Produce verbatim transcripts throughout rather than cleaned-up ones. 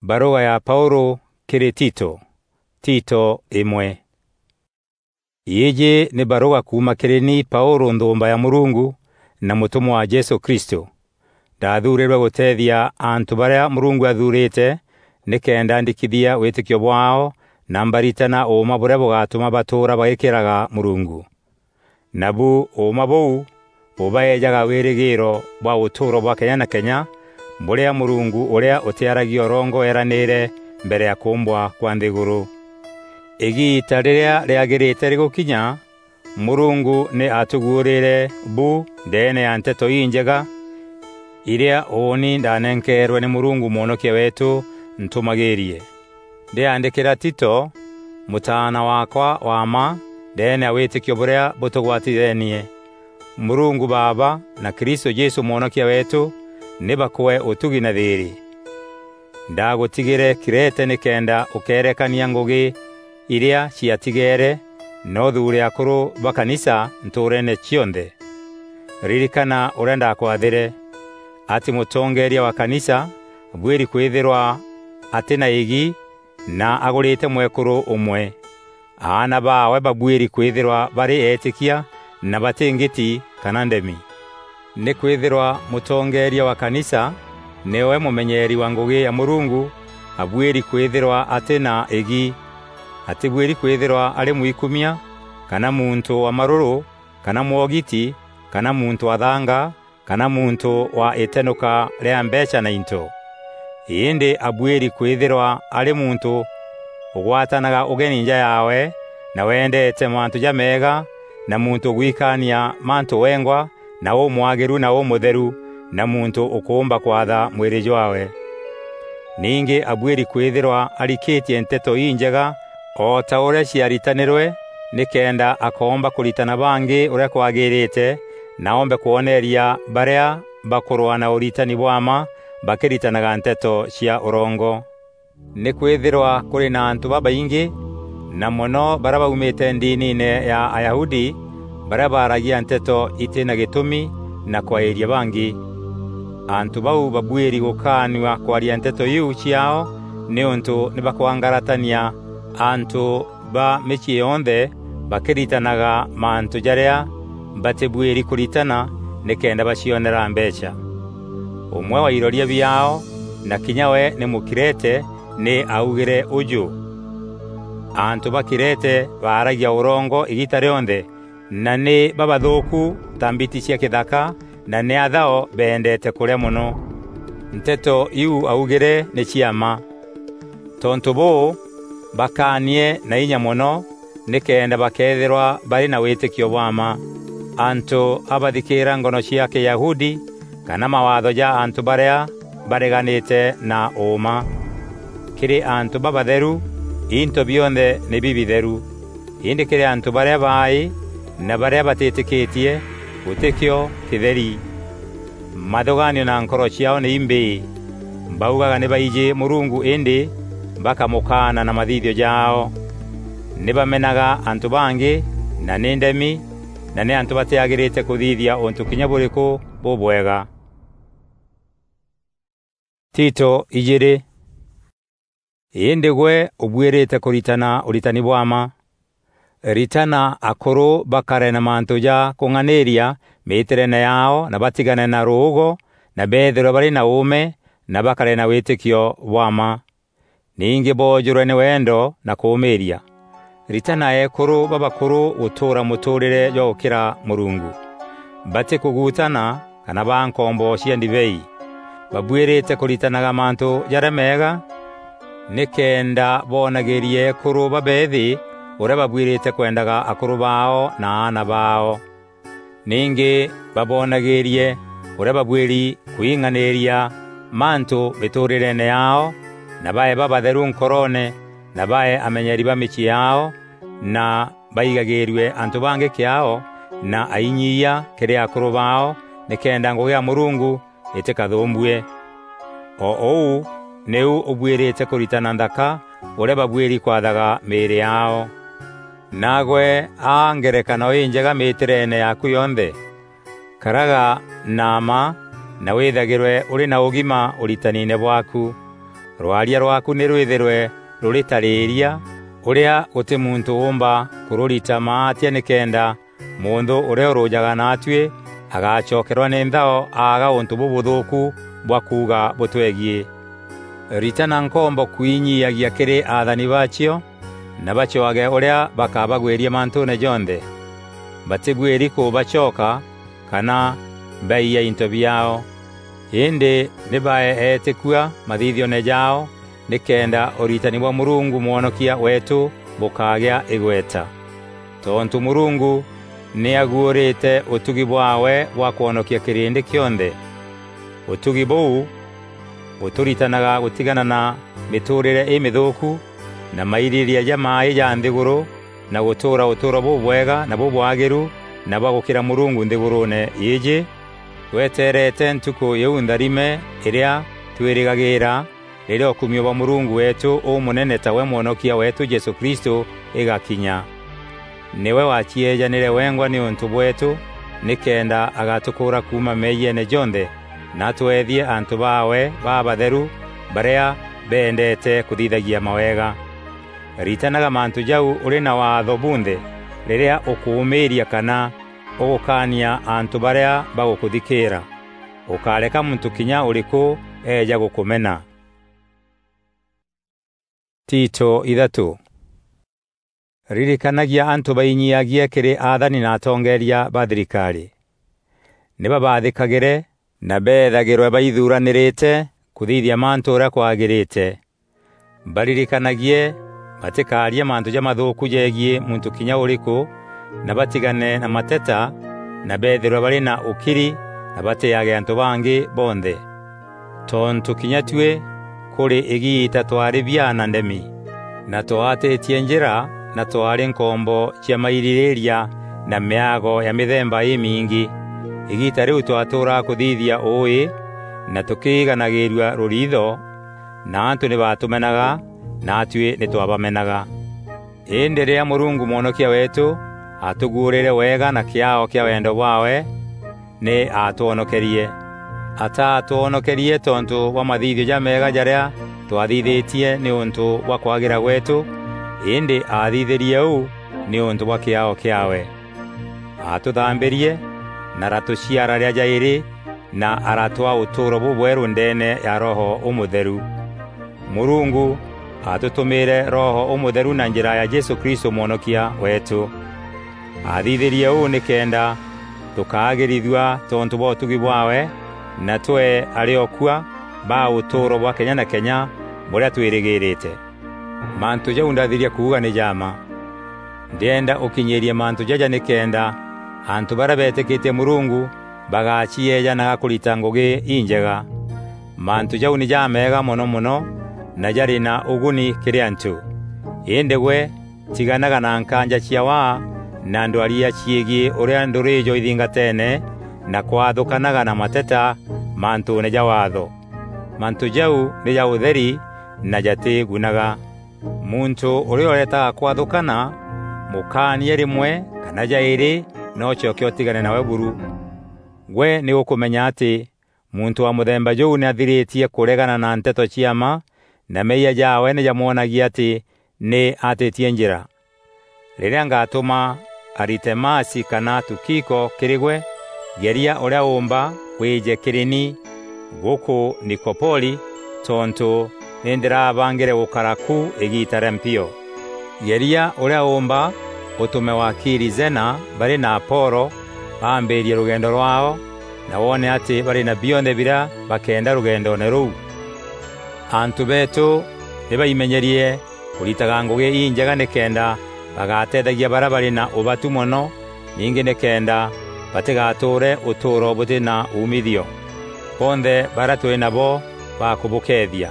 Barûga ya Paûlû kîrî Tito. Tito imwe. Îîjî nî barûga kuuma kîrî ni Paûlû nthûûmba ya Mûrungu na mûtûmwa wa Jesû Kristû. Ndathuurîrwe gûteethia antû barîa Mûrungu athuurîte nîkenda ndikithia wîtîkio bwaao na mbaritana ûûma bûrîa bûgatûma batûûra bagîkîraga Mûrungu. Nabu ûûma bûu bûbaejaga wîrîgîîro bwa ûtûûro bwa kenya na kenya, bûrîa Mûrungu ûrîa ûtîaragia ûrongo eeranîîre mbere ya kûûmbwa kwa nthîgûrû. Îgiita rîrîa rîagîrîte rîgûkinya, Mûrungu nî aatûguûrîîre bu ndeene ya Nteto Injega, irîa ûûni ndanenkeerwe nî Mûrungu Mwonokia weetû ntûmagîîrie. Ndîaandîkîra Tito, mûtaana waakwa wa mma ndeene ya wîtîkio bûrîa bûtûgwatithenie. Mûrungu Baaba na Kristû Jesû Mwonokia weetû nî bakwee ûtugi na thîîrî. Ndagûtigîre Krete nîkenda ûkeerekania ngûgî irîa ciatigeere, na ûthuure akûrû ba kanisa ntûûreene cionthe. Ririkana ûrîa ndakwathîre, atî mûtongeeria wa kanisa abuîri kwîthîrwa atî na îgi na agûrîte mwekûrû ûmwe. Aana baawe babuîri kwîthîrwa barî eetîkia na batî ngiti kana ndemi. Nîkwîthîrwa mûtongeeria wa kanisa nîwe mûmenyeeri wa ngûgî ya Mûrungu, abuîri kwîthîrwa atî na îgi. Atîbuîri kwîthîrwa arî mwikumia, kana muntû wa marûrû, kana mwogiti, kana muntû wa thanga, kana muntû wa îtenûka rîa mbeecha na into. Îndî abuîri kwîthîrwa arî muntû ûgwatanaga ûgeni nja yaawe, na wendeete mantû jameega, na muntû ûgwikaania mantû wengwa, na ûmwagîru na ûmûtheru, na muntû ûkûûmba kwatha mwîrî jwaawe. Ningî abuîri kwîthîrwa arikîtie Nteto Injega o ta ûrîa ciaritanîrwe, nîkenda akoomba kûritana bangî ûrîa kwagîrîte, na oombe kwoneeria barîa bakûrwaa na ûritani bwa mma bakîritanaga nteto cia ûrongo. Nîkwîthîrwa kûrî na antû babaingî, na mono barîa baumîte ndiniine ya Ayahudi, barîa baaragia nteto itî na gîtûmi na kwaîria bangî. Antû bau babuîri gûkaanua kwaria nteto iu ciaao, nîûntû nî bakwangaratania antû ba mîciî yonthe bakîritanaga mantû jarîa batîbuîri kûritana nîkenda bacionera mbeecha. Ûmwe wa iroria biaao, na kinya we nî Mûkrete, nî aaugîre ûjû: "Antû ba Krete baaragia ûrongo îgiita rîonthe, na nî babathûûku ta mbiti cia kîthaka, na nî athao beendeete kûrîa mono." Nteto iu aaugîre nî cia mma. Tontû bûû, bakaanie na inya mono nîkenda bakeethîrwa barî na wîtîkio bwa mma. Antû a bathikîîra ngono cia Kîyahudi kana mawaatho ja antû barîa bareganîte na ûûma. Kîrî antû babatheru, into bionthe nî bibitheru. Îndî kîrî antû barîa baaî na barîa batîtîkîtie, gûtî kîo kîtheri. Mathûgaanio na nkoro ciaao nî imbîî. Baugaga nî baijî Mûrungu îndî bakamûkaana na mathithio jaao. Nî bamenaga antû bangî, na nî ndemi, na nî antû batîagîrîte kûthithia ûntû kinya bûrîkû bûbwega. Tito ijîîrî. Îndî gwe ûbuîrîte kûritana ûritani bwa mma. Ritana akûrû bakare na mantû ja kûng'anîîria mîîtîreene yaao, na batigane na rûûgo, na beethîrwe barî na ûûme, na bakare na wîtîkio bwa mma. Ningî boojûrwe nî wendo na kûûmîîria. Ritana eekûrû babakûrû gûtûûra mûtûûrîre jwa gûkîra Mûrungu. Batîkûguutana kana baa nkombo cia ndibei. Babuîrîte kûritanaga mantû jarîa meega, nîkenda boonagîrie eekûrû babeethî ûrîa babuîrîte kwendaga akûrû baao na aana baao. Ningî baboonagîrie ûrîa babuîri kwing'anîîria mantû mîtûûrîreene yaao, na bae babatheru nkoroone, na bae amenyeri ba mîciî yaao, na baigagîîrue antû bangî kîaao, na ainyiia kîrî akûrû baao, nîkenda ngûgî ya Mûrungu îtîkathûûmbue. O ûu nîu ûbuîrîte kûritana nthaka ûrîa babuîri kwathaga mîîrî yaao. Naagwe aa ngerekano înjega mîîtîreene yaaku yonthe. Karaga na mma na wîthagîrwe ûrî na ûgima ûritaniine bwaaku. Rwaria rwaaku nî rwîthîrwe rûrî ta rîîria, ûrîa gûtî muntû ûûmba kûrûrita maatia, nîkenda mûnthû ûrîa ûrûjaga naatuî agacokerwa nî nthao aaga ûntû bûbûthûûku bwa kuuga bûtwegiî. Ritana nkombo kwinyiiagia kîrî athani baacio, na bacwage ûrîa bakabagwîria mantûûne jonthe. Batîbuîri kûbacoka kana baiya into biaao. Îndî nî bae eetîkua mathithioone jaao, nîkenda ûritani bwa Mûrungu Mwonokia weetû bûkagîa îgweta. Tontû Mûrungu nî aguûrîte ûtugi bwaawe bwa kwonokia kîrîndî kîonthe. Ûtugi bûu bûtûritanaga gûtigana na mîtûûrîre îmîthûûku na mairîrîîria jamaaî ja nthîgûrû, na gûtûûra ûtûûro bûbwega na bûbwagîru na bwa gûkîra Mûrungu nthîgûrûûne îîjî, tweteerete ntukû îîu ntharime îrîa twîrîgagîîra, rîrîa ûkumio bwa Mûrungu weetû ûmûnene tawe Mwonokia weetû Jesû Kristû îgakinya. Nîwe wacieejanîre wengwa nîûntû bweetû, nîkenda agatûkûûra kuuma meeyiene jonthe, na atweethie antû baawe babatheru barîa beendeete kûthithagia mawega. Ritanaga mantû jau ûrî na waatho bunthe, rîrîa ûkûûmîîria kana ûgûkaania antû barîa bagûkûthikîîra. Ûkáreka muntû kinya ûrîkû eeja gûkûmena. Tito ithatû. Ririkanagia antû bainyiagie kîrî athani na atongeeria ba thirikarî. Nî babaathîkagîre na beethagîrwe baithuranîrîte kûthithia mantû ûrîa kwagîrîte. Baririkanagie batîkaarie mantû jamathûûku jegiî muntû kinya ûrîkû, na batigane na mateta, na beethîrwe barî na ûkiri, na batîîage antû bangî bonthe. Tontû kinya tuî kûrî îgiita twaarî biaa na ndemi, na twaatîtie njîra, na twaarî nkombo cia mairîrîîria na mîago ya mîthemba îmingî. Îgiita rîu twatûûraga kûthithia ûûî, na tûkîganagîîrua rûriitho, na antû nî baatûmenaga, na atuî nî twabamenaga. Îndî rîrîa Mûrungu Mwonokia weetû aatûguûrîre wega na kîaao kîa wendo bwaawe, nî aatwonokerie. Ataatwonokerie tontû bwa mathithio jameega jarîa twathithîtie nîûntû bwa kwagîra gweetû, îndî aathithîrie ûu nîûntû bwa kîaao kîaawe. Aatûthambîrie na aratûciara rîa jaîrî, na aratwaa ûtûûro bûbwerû ndeene ya Roho Ûmûtheru. Mûrungu aatûtûmîîre Roho Ûmûtheru na njîra ya Jesû Kristû Mwonokia weetû. Aathithîrie ûu nîkenda tûkaagîrithua tontû bwa ûtugi bwaawe, na twee arîokua ba ûtûûro bwa kenya na kenya bûrîa twîrîgîrîte. Mantû jau ndathiria kuuga nî ja mma. Ndîenda ûkinyîîrie mantû jaja nîkenda antû barîa beetîkîtie Mûrungu bagacieejanaga kûrita ngûgî injega. Mantû jau nî jameega mono mono na jarî na ûguni kîrî antû. Îndî gwe tiganaga na nkaanja cia waa na ndwaria ciîgiî ûrîa ndûrî jo ithingateene na kwathûkanaga na mateta mantûûne ja Waatho. Mantû jau nî ja ûtheri na jatîgunaga. Muntû ûrîa ûretaga kwathûkana, mûkaanie rîmwe kana jaîrî na ûcoke ûtigane nawe buru. Gwe nî ûkûmenya atî muntû wa mûthemba jûu nî athirîtie kûregana na nteto cia mma, na meeyia jaawe nî jamwonagia atî nî aatîtie njîra. Rîrîa ngatûma Aritemasi kana Tukiko kîrî gwe, geria ûrîa ûûmba wîîje kîrî ni gûkû Nikopoli, tontû nî ndîrabangîre gûkara ku îgiita rîa mpio. Geria ûrîa ûûmba ûtûme wakiri Zena barî na Apolo baambîîrie rûgendo rwaao, na woone atî barî na bionthe birîa bakeenda rûgendoone rûu. Antû beetû nî baimenyerie kûritaga ngûgî injega nîkenda bagateethagia barîa barî na ûbatu mono, ningî nîkenda batîgatûûre ûtûûro bûtî na umithio. Bonthe barîa tûrî nabo bakûbûkeethia.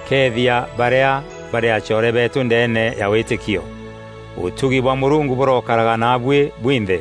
Keethia barîa barî acoore beetû ndeene ya wîtîkio. Ûtugi bwa Mûrungu bûrokaraga naabuî bwinthe.